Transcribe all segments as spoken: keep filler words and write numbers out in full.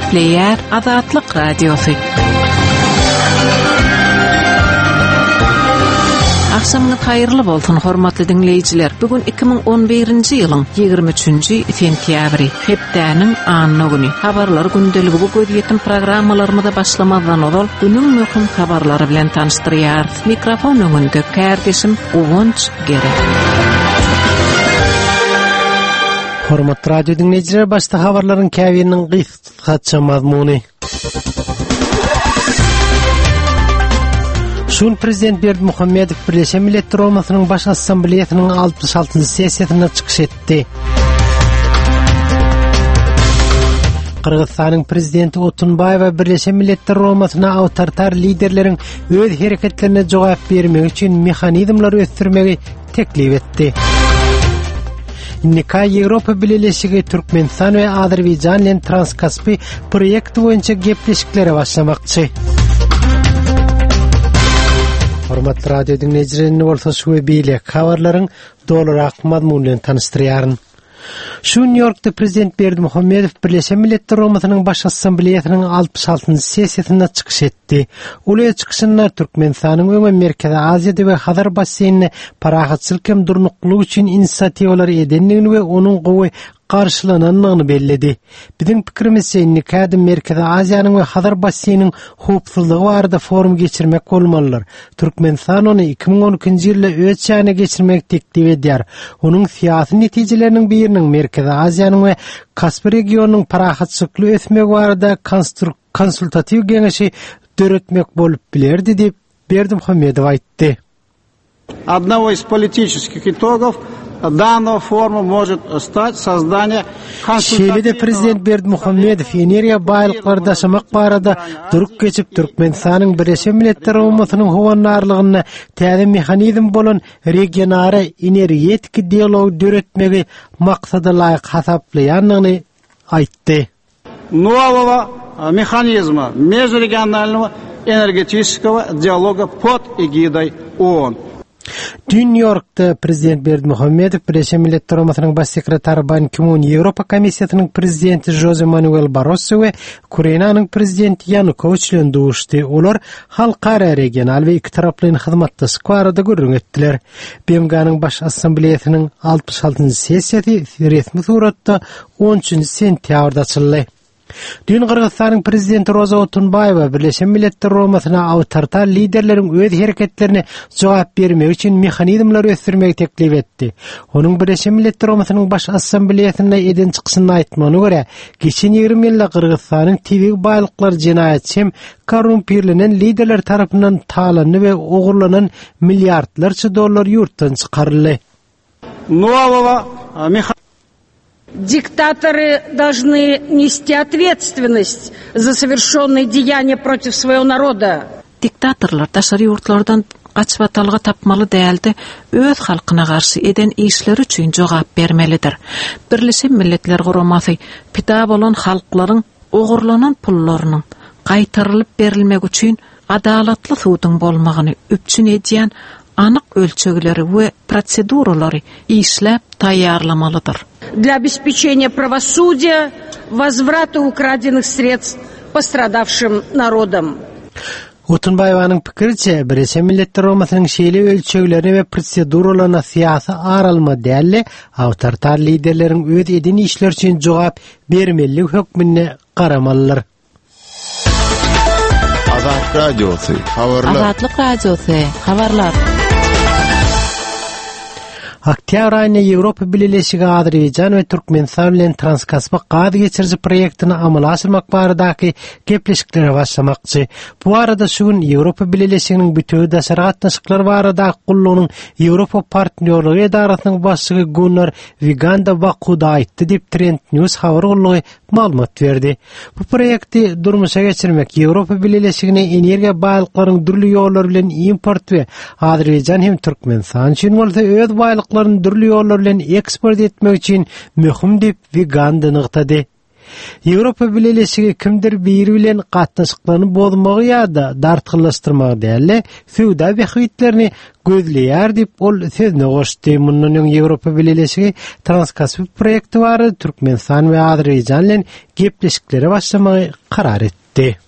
Gepleýär Azatlyk Radiosy. Agşamyňyz haýyrly bolsun, hormatly diňleýjiler. Bu gün iki müň on birinji ýylyň ýigrimi üçünji sentýabry, hepdäniň anna güni. Habarlar gündeligi bu gözýetim programmalarymyza başlamazdan ozal günüň möhüm habarlary bilen tanyşdyrýarys. Mikrofon öňünde kärdeşim Guwanç Gerek. Hormatly radio dinleýjiler, başda habarlaryň käbiriniň gysgaça mazmuny. Şun Prezident Berdimuhamedow Birleşen Milletler Guramasynyň Baş Assambleýasynyň altmyş altynjy sessiýasynda çykyş etdi. Gyrgyzystanyň Prezidenti Otunbaýewa Birleşen Milletler Guramasyna awtoritar liderleriň öz hereketlerine jogap bermegi üçin mehanizmleri ösdürmegi teklip etdi. Nika Ýewropa Bileleşigi Türkmenistan we Azerbaýjan bilen Transkaspi proýekti boýunça gepleşiklere başlamakçy. Hormatly radio dinleýjiler, bolsa şu we beýleki habarlaryň dolurak mazmuny bilen tanyşdyrýaryn. Şu Nýu Ýorkda Prezident Berdimuhamedow Birleşen Milletler Guramasynyň Baş Assambleýasynyň altmyş altynjy sessiýasynda çykyş etdi. Ol öz çykyşynda Türkmenistanyň öňe Merkezi Aziýada we Hazar basseýninde parahatçylyk hem durnuklylyk üçin inisiatiwalary edendigini we onuň gowy garşylanandygyny belledi. Biziň pikirimizçe indiki ädim Merkezi Aziýanyň we Hazar basseýniniň howpsuzlygy barada forum geçirmek bolmalydyr. Türkmenistan ony iki müň on ikinji ýylda öz çägine geçirmek teklip edýär. Onuň syýasy netijeleriniň biriniň Merkezi Aziýanyň we Kaspi regionynyň parahatçylykly ösmegi barada konstruk-, konsultatiw geňeşi döretmek bolup bilerdi diýip Berdimuhamedow aýtdy. Одного из политических итогов данного форума может стать создание Şeýle-de Prezident Berdimuhamedow energiýa baýlyklary daşamak barada durup geçip Türkmenistanyň Birleşen Milletler Guramasynyň howandarlygynda täze mehanizm bolan regionara energetik dialog döretmegi maksada laýyk hasaplaýandygyny aýtdy. Нового механизма межрегионального энергетического диалога под эгидой ООН. Dün Nýu Ýorkda Prezident Berdimuhamedow Birleşen Milletler Guramasynyň Baş sekretary Ban Ki-mun, Ýewropa Komissiýasynyň Prezidenti Jose Manuel Barroso we Ukrainanyň Prezidenti Ýanukowiç bilen duşdy. Olar halkara, regional we iki taraplaýyn hyzmatdaşlyk barada gürrüň etdiler. B M G-nyň Baş Assambleýasynyň altmyş altynjy sessiýasy resmi suratda on üçünji sentýabrda açyldy. Dün Gyrgyzystanyň Prezidenti Roza Otunbaýewa Birleşen Milletler Guramasyna awtoritar liderleriň öz hereketlerine jogap bermegi üçin mehanizmleri ösdürmegi teklip etdi. Onuň Birleşen Milletler Guramasynyň Baş Assambleýasynda eden çykyşyny aýtmagyna görä, geçen ýigrimi ýylda Gyrgyzystanyň tebigy baýlyklary jenaýatçy hem korrumpirlenen liderler tarapyndan talandy we ogurlanan milliardlarça dollar ýurtdan çykaryldy. Нового меха- Диктаторы должны нести ответственность за совершенные деяния против своего народа. Diktatorlar daşary ýurtlardan gaçybatalga tapmaly däldi, öz halkyna garşy eden işleri üçin jogap bermelidir. Birleşen Milletler Guramasy pida bolan halklaryň ogurlanan pullarynyň gaýtarylyp berilmegi üçin adalatly suduň bolmagyny üpjün edýän anyk ölçegleri we proseduralary işläp taýýarlamalydyr. Для обеспечения правосудия, возврата украденных средств пострадавшим народам. Otunbaýewanyň pikiriçe, Birleşen Milletler Guramasynyň şeýle ölçeglerini we proseduralaryna syýasy aralma däl-de, awtoritar liderleriň öz eden işleri üçin jogap bermeli hökmünde garamalydyr. Azat Radiosy, habarlar. Azatlyk Radiosy, habarlar. Oktýabr aýynda Ýewropa Bileleşigi Azerbaýjan we Türkmenistan bilen Transkaspi gaz geçiriji proýektini amala aşyrmak baradaky gepleşiklere başlamakçy. Bu arada şu gün Ýewropa Bileleşiginiň bütewi daşary gatnaşyklar baradaky gullugynyň Ýewropa Partnýorlygy edarasynyň başlygy Gunnar Wiganda Bakuda aýtdy diýip Trend News habar gullugy maglumat berdi. Bu proýekti durmuşa geçirmek Ýewropa Bileleşigine energiýa baýlyklaryň dürli ýollary bilen import we Azerbaýjan hem Türkmenistan üçin bolsa öz baýlyklaryny dürli ýollar bilen eksport etmek üçin möhüm diýip Wiganda nygtady. Ýewropa Bileleşigi kimdir biri bilen gatnaşyklaryny bozmagy ýa-da dartgynlaşdyrmagy däl-de, söwda bähbitlerini gözleýär diýip, ol sözüne goşdy. Mundan öň Ýewropa Bileleşigi Transkaspi proýekti barada Türkmenistan we Azerbaýjan bilen gepleşiklere başlamagy karar etdi.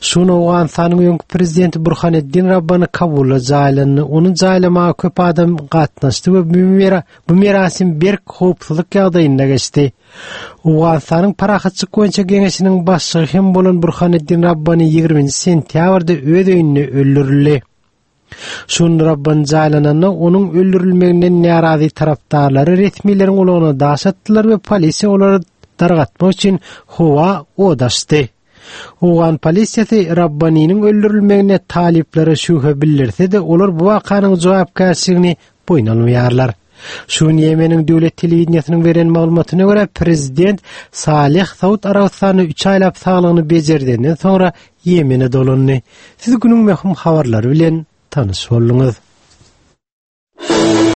Şu gün Owganystanyň öňki prezidenti Burhaneddin Rabbany Kabulda jaýlandy. Ony jaýlamaga köp adam gatnaşdy we bu merasim berk howpsuzlyk ýagdaýynda geçdi. Owganystanyň Parahatçylyk boýunça geňeşiniň başlygy hem bolan Burhaneddin Rabbany ýigriminji sentýabrda öz öýünde öldürildi. Şu gün Rabbany jaýlananda onuň öldürilmeginden närazy tarapdarlary resmileriň ulagyna daş atdylar we polisiýa olary dargatmak üçin howa od açdy. Owgan polisiýasy Rabbanynyň öldürilmegine talyplara şübhe bildirse-de, olar bu wakanyň jogapkärçiligini boýun almaýarlar. Şu gün Ýemeniň döwlet telewideniýesiniň beren maglumatyna görä, prezident Saleh Saud Arabystanyna üç aýlap saglygyny bejerdenden soňra Ýemene dolandy. Siz günüň möhüm habarlary bilen tanyş bolduňyz.